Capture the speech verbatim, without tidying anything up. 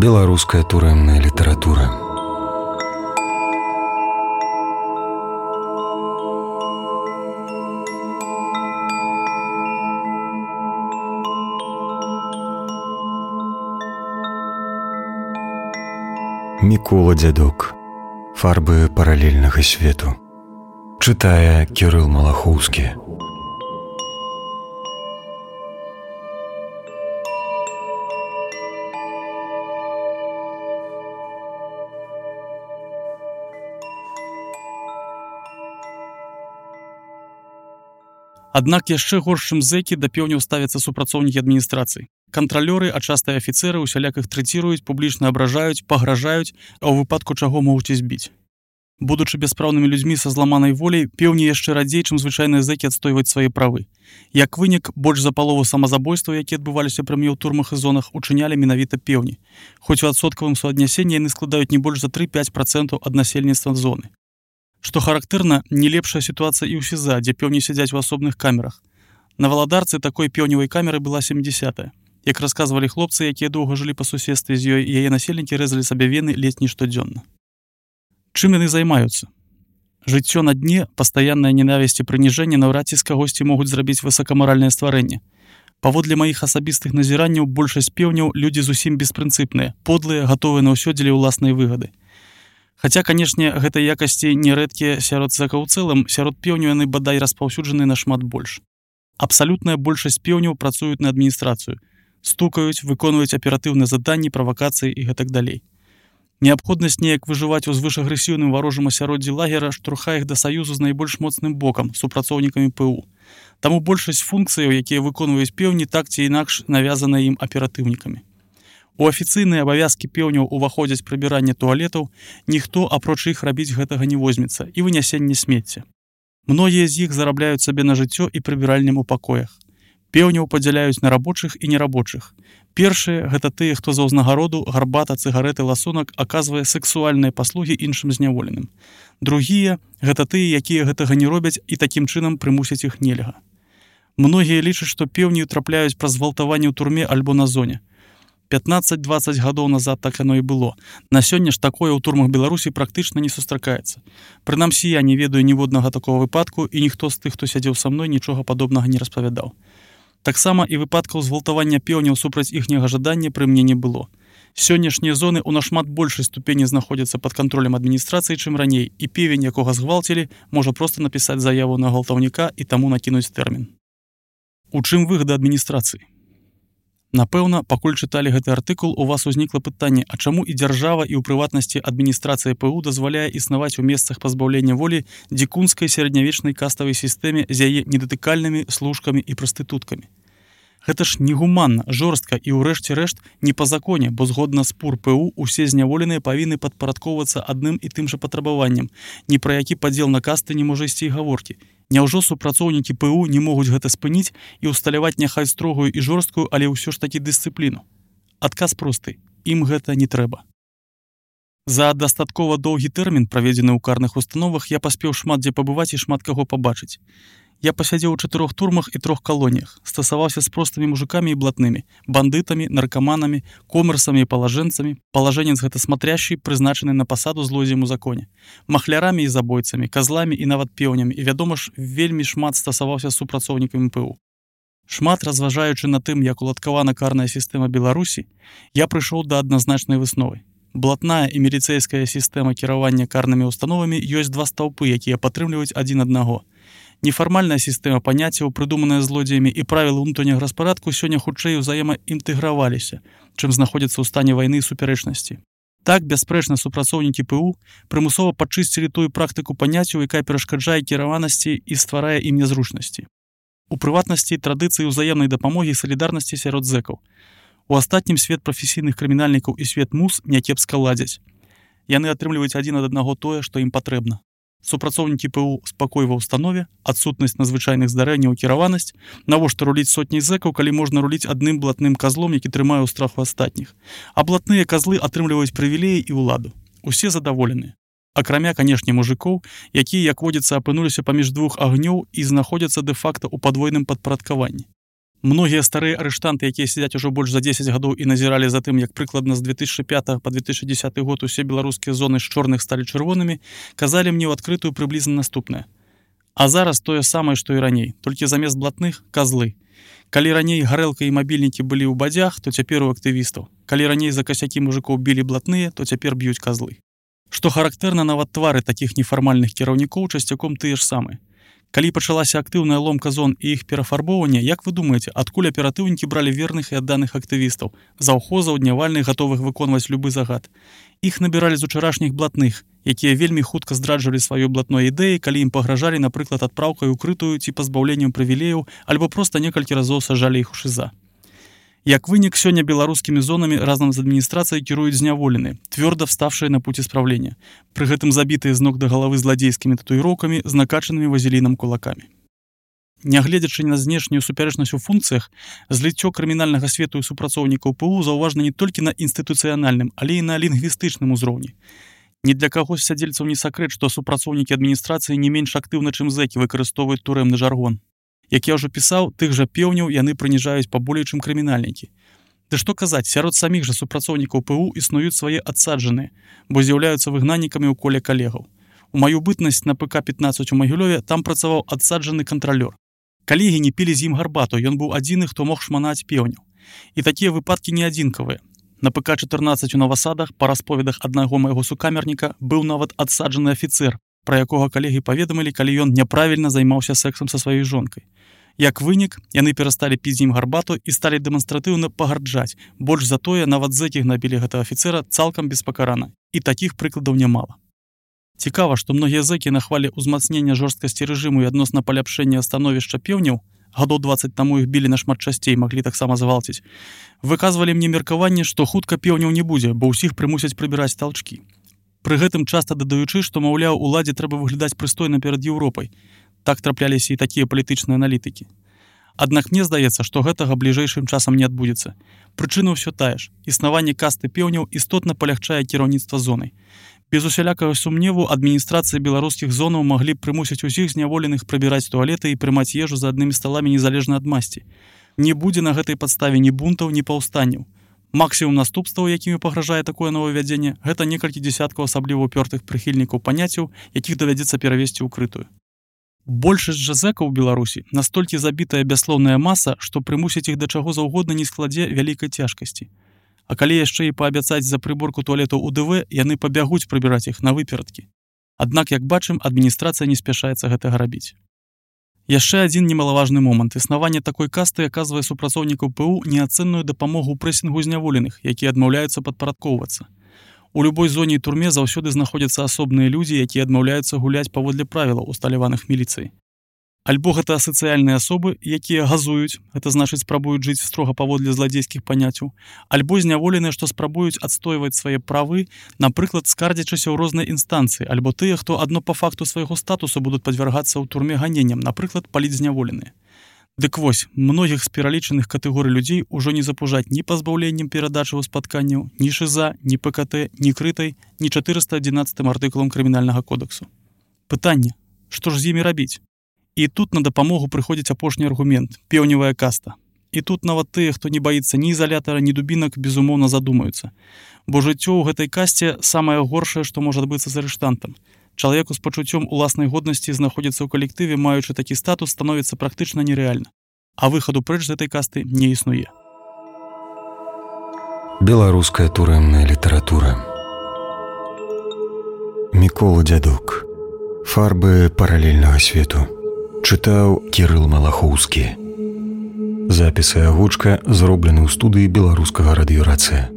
Беларуская турэмная літаратура. Мікола Дзядок. Фарбы паралельнага свету. Чытае Кірыл Малахоўскі. Аднак яшчэ горш, чым зэкі, да пеўняў ставяцца супрацоўнікі адміністрацыі. Кантралёры, а часта і афіцэры усяляк іх трэціруюць, публічна абражаюць, пагражаюць, а ў выпадку чаго могуць і збіць. Будучы бяспраўнымі людзьмі са зламанай воляй, пеўні яшчэ радзей, чым звычайныя зэкі, адстойваць свае правы. Як вынік, больш за палову самазабойстваў, якія адбываліся пры мне ў турмах і зонах, учынялі менавіта пеўні. Хоць у адсоткавым суаднясенні яны складаюць не больш за тры-пяць працэнтаў ад насельніцтва зоны. Што характэрна, не лепшая сітуацыя і ў СІЗА, дзе пеўні сядзяць у асобных камерах. На Валадарцы такой пеўневай камеры была сямдзесятая. Як расказвалі хлопцы, якія доўга жылі па суседстве з ёй, яе насельнікі рэзалі сабе вены ледзь не штодзённа. Чым яны займаюцца? Жыццё на дне, пастаянная ненавісць і прыніжэнне наўрад ці з кагосьці могуць зрабіць высакамаральнае стварэнне. Паводле маіх асабістых назіранняў, большасць пеўняў людзі зусім беспрынцыпныя, подлыя, гатовыя на ўсё дзеля ўласнай выгады. Хаця, канешне, гэтай якасці нерэдкія сярод зэкаў у цэлым, сярод пеўняў яны бадай распаўсюджаны нашмат больш. Абсалютная большасць пеўняў працуюць на адміністрацыю, стукаюць, выконваюць аператыўныя заданні, правакацыі і гэтак далей. Неабходнасць неяк выжываць у звышагрэсіўным варожым асяроддзі лагера штурхае іх да саюзу з найбольш моцным бокам, супрацоўнікамі ПУ. Таму большасць функцыяў, якія выконваюць пеўні, так ці інакш навязаныя ім аператыўнікамі. У афіцыйныя абавязкі пеўняў уваходзяць прыбіранне туалетаў, ніхто апроч іх рабіць гэтага не возьмецца, і вынясенне смецця. Многія з іх зарабляюць сабе на жыццё і прыбіральням у пакоях. Пеўняў падзяляюць на рабочых і нерабочых. Першыя гэта тыя, хто за ўзнагароду, гарбата, цыгарэты, ласунак аказвае сэксуальныя паслугі іншым зняволеным. Другія гэта тыя, якія гэтага не робяць і такім чынам прымусяць іх нельга. Многія лічаць, што пеўні трапляюць праз гвалтаванне ў турме альбо на зоне. пятнаццаць-дваццаць гадоў назад так яно і было. На сёння ж такое ў турмах Беларусі практычна не сустракаецца. Прынамсі, я не ведаю ніводнага такога выпадку, і ніхто з тых, хто сядзеў са мной, нічога падобнага не распавядаў. Таксама і выпадкаў згвалтавання пеўняў супраць іхняга жадання пры мне не было. Сённяшнія зоны ў нашмат большай ступені знаходзяцца пад кантролем адміністрацыі, чым раней, і певень, якога згвалцілі, можа проста напісаць заяву на гвалтаўніка і таму накінуць тэрмін. У чым выгада адміністрацыі? Напэўна, пакуль чыталі гэты артыкул, у вас узнікла пытанне, а чаму і дзяржава, і ў прыватнасці адміністрацыя ПУ дазваляе існаваць у месцах пазбаўлення волі дзікунскай сярэднявечнай каставай сістэме з яе недатыкальнымі служкамі і прастытуткамі. Гэта ж негуманна, жорстка і ўрэшце рэшт не па законе, бо згодна з ПУР ПУ усе зняволеныя павінны падпарадкоўвацца адным і тым жа патрабаваннем. Ні пра які падзел на касты не можа ісці і гаворкі. Няўжо супрацоўнікі ПУ не могуць гэта спыніць і ўсталяваць няхай строгую і жорсткую, але ўсё ж такі дысцыпліну? Адказ просты. Ім гэта не трэба. За дастаткова доўгі тэрмін, праведзены ў карных установах, я паспеў шмат дзе пабываць і шмат каго пабачыць. Я пасядзеў у чатырох турмах і трох калоніях, стасаваўся з простымі мужикамі і блатнымі, бандытамі, наркаманамі, комерсамі і палажэнцамі, палажэнец гэта смотрящий, прызначаны на пасаду злодзеем у законе, махлярамі і забойцамі, казламі і нават пеўнямі, і, вядома ж, вельмі шмат стасаваўся з супрацоўнікамі ПУ. Шмат разважаючы на тым, як уладкавана карная сістэма Беларусі, я прыйшоў да адназначнай высновы. Блатная і міліцэйская сістэма кіравання карнымі установамі ёсць два стаўпы, якія падтрымліваюць адзін аднаго. Нефармальная сістэма паняццяў, прыдуманая злодзеямі, і правілы ўнутранняга распарадку сёння хутчэй узаемаінтэграваліся, чым знаходзяцца ў стане вайны і супярэчнасці. Так, бясспрэчна, супрацоўнікі ПУ прымусова падчысцілі тую практыку паняццяў, якая перашкаджае кіраванасці і стварае ім нязручнасці. У прыватнасці традыцыі ўзаемнай дапамогі і салідарнасці сярод зэкаў. У астатнім свет прафесійных крымінальнікаў і свет мус някепска ладзяць. Яны атрымліваюць адзін ад аднаго тое, што ім патрэбна. Супрацоўнікі ПУ спакой ва ўстанове, адсутнасць надзвычайных здарэнняў, кіраванасць, навошта руліць сотні зэкаў, калі можна руліць адным блатным казлом, які трымае ў страху астатніх. А блатныя казлы атрымліваюць прывілеі і ўладу. Усе задаволеныя. Акрамя, канешне, мужикоў, якія, як водзіцца, апынуліся паміж двух агнёў і знаходзяцца дэ-факта ў падвойным падпарадкаванні. Многія старыя арыштанты, якія сядзяць ужо больш за дзесяць гадоў і назіралі за тым, як прыкладна з две тысячи пятага па две тысячи десятый год усе беларускія зоны з чорных сталі чырвонымі, казалі мне ў адкрытую прыблізна наступнае. А зараз тое самае, што і раней, толькі замест блатных – казлы. Калі раней гарэлка і мабільнікі былі ў бадзях, то цяпер у актывістаў. Калі раней за касякі мужикоў білі блатныя, то цяпер б'юць казлы. Што характэрна, нават твары такіх нефармальных кіраўнікоў часцяком тыя ж самыя. Калі пачалася актыўная ломка зон і іх перафарбоўванне, як вы думаеце, адкуль аператыўнікі бралі верных і адданых актывістаў, заўхозаў, днявальных, гатовых выконваць любы загад? Іх набіралі з учарашніх блатных, якія вельмі хутка здраджвалі сваёй блатной ідэі, калі ім пагражалі, напрыклад, адпраўкай укрытую ці пазбаўленнем прывілеяў, альбо проста некалькі разоў сажалі іх у шыза. Як вынік, сёння беларускімі зонамі разам з адміністрацыяй кіруюць зняволеныя, твёрда вставшыя на путь исправлення, пры гэтым забітыя з ног да галавы зладзейскімі татуіроўкамі з накачанымі вазелінам кулакамі. Нягледзячы на знешнюю супярэчнасць у функцыях, зліццё крымінальнага свету і супрацоўнікаў ПУ заўважна не толькі на інстытуцыянальным, але і на лінгвістычным узроўні. Ні для каго з сядзельцаў не сакрэт, што супрацоўнікі адміністрацыі не менш актыўна, чым зэкі, выкарыстоўваюць турэмны жаргон. Як я ўжо пісаў, тых жа пеўняў яны прыніжаюць паболей, чым крымінальнікі. Ды што казаць, сярод саміх жа супрацоўнікаў ПУ існуюць свае адсаджаныя, бо з'яўляюцца выгнаннікамі ў коле калегаў. У маю бытнасць на ПК пятнадцать у Магілёве там працаваў адсаджаны кантралёр. Калегі не пілі з ім гарбату, ён быў адзіны, хто мог шманаць пеўняў. І такія выпадкі не адзінкавыя. На ПК чатырнаццаць у Новасадах, па расповедах аднаго майго сукамерніка, быў нават адсаджаны афіцэр, пра якога калегі паведамілі, калі ён няправільна займаўся сексам са сваёй жонкай. Як вынік, яны перасталі піць з ім гарбату і сталі дэманстратыўна пагарджаць. Больш за тое, нават зэкі гнабілі гэтага афіцэра цалкам беспакарана. І такіх прыкладаў нямала. Цікава, што многія зэкі на хвале ўзмацнення жорсткасці рэжыму і адносна паляпшэння становішча пеўняў, гадоў дваццаць таму іх білі нашмат часцей, маглі таксама завалціць, выказвалі мне меркаванне, што хутка пеўняў не будзе, бо ўсіх прымусяць прыбіраць талчкі. Пры гэтым часта дадаючы, што, маўляў, уладзе трэба выглядаць прыстойна перад Еўропай. Так трапляліся і такія палітычныя аналітыкі. Аднак мне здаецца, што гэтага бліжэйшым часам не адбудзецца. Прычына ўсё тая ж. Існаванне касты пеўняў істотна палягчае кіраўніцтва зонай. Без усялякага сумневу адміністрацыі беларускіх зонаў маглі б прымусіць усіх зняволеных прыбіраць туалеты і прымаць ежу за аднымі сталамі незалежна ад масці. Не будзе на гэтай падставе ні бунтаў, ні паўстанняў. Максімум наступстваў, якімі пагражае такое новаўвядзенне, гэта некалькі дзесяткаў асабліва ўпёртых прыхільнікаў паняццяў, якіх давядзецца перавесці ўкрытую. Большасць жа зэкаў у Беларусі настолькі забітая бяслоўная маса, што прымусіць іх да чаго заўгодна не складзе вялікай цяжкасці. А калі яшчэ і паабяцаць за прыборку туалетаў у ДВ, яны пабягуць прыбіраць іх на выперадкі. Аднак, як бачым, адміністрацыя не спяшаецца гэтага рабіць. Яшчэ адзін немалаважны момант. Існаванне такой касты аказвае супрацоўнікаў ПУ неацэнную дапамогу ў прэсінгу зняволеных, якія адмаўляюцца падпарадкоўвацца. У любой зоне і турме заўсёды знаходзяцца асобныя людзі, якія адмаўляюцца гуляць паводле правілаў, усталяваных міліцыяй. Альбо гэта асацыяльныя асобы, якія газуюць, гэта значыць спрабуюць жыць строга паводле зладзейскіх паняццяў, альбо зняволеныя, што спрабуюць адстойваць свае правы, напрыклад, скардзячыся ў рознай інстанцыі, альбо тыя, хто адно па факту свайго статусу будуць падвяргацца ў турме ганенням, напрыклад, паліць зняволеныя. Дык вось, многіх з пералічаных катэгорый людзей ужо не запужаць ні пазбаўленнем перадачы ў спатканняў, ні шыза, ні ПКТ, ні крытай, ні чатырыста адзінаццатым артыкулам крымінальнага кодексу. Пытанне, што ж з імі рабіць? І тут на дапамогу прыходзіць апошні аргумент – пеўневая каста. І тут нават тыя, хто не баіцца ні ізалятара, ні дубінак, безумоўна задумаюцца. Бо жыццё ў гэтай касце самае горшае, што можа адбыцца з арыштантам. Чалавеку з пачуццём уласнай годнасці знаходзіцца ў калектыве, маючы такі статус, становіцца практычна нерэальна. А выхаду прэч з гэтай касты не існуе. Беларуская турэмная літаратура. Мікола Дзядок. Фарбы паралельнага свету. Чытаў Кірыл Малахоўскі. Запіс і агучка зроблены ў студыі беларускага радыёрацыя.